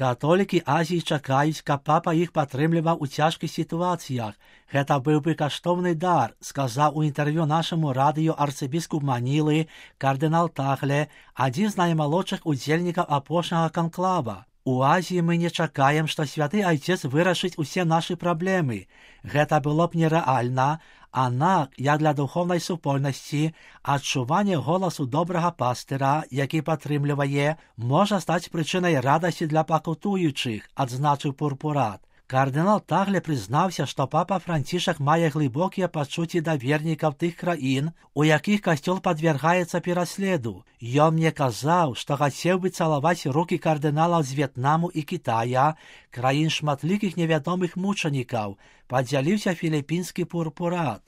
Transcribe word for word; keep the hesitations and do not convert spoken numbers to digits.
Католікі Азіі чакаюць, каб папа іх падтрымліваў у цяжкіх сітуацыях. Гэта быў бы каштоўны дар, сказаў у інтэрв'ю нашаму радыё арцыбіскуп Манілы кардынал Тагле, адзін з наймалодшых удзельнікаў апошняга канклава. У Азіі мы не чакаем, што святы айцец вырашыць усе нашы праблемы. Гэта было б нерэальна, аднак, як для духоўнай супольнасці, адчуванне голасу добрага пастыра, які падтрымлівае, можа стаць прычынай радасці для пакутуючых, адзначыў Пурпурат. Кардынал Тагле прызнаўся, што папа Францішак мае глыбокія пачуцці да вернікаў тых краін, у якіх касцёл падвяргаецца пераследу. Ён мне казаў, што хацеў бы цалаваць рукі кардыналаў з В'етнаму і Кітая, краін шматлікіх невядомых мучанікаў, падзяліўся філіппінскі Пурпурат.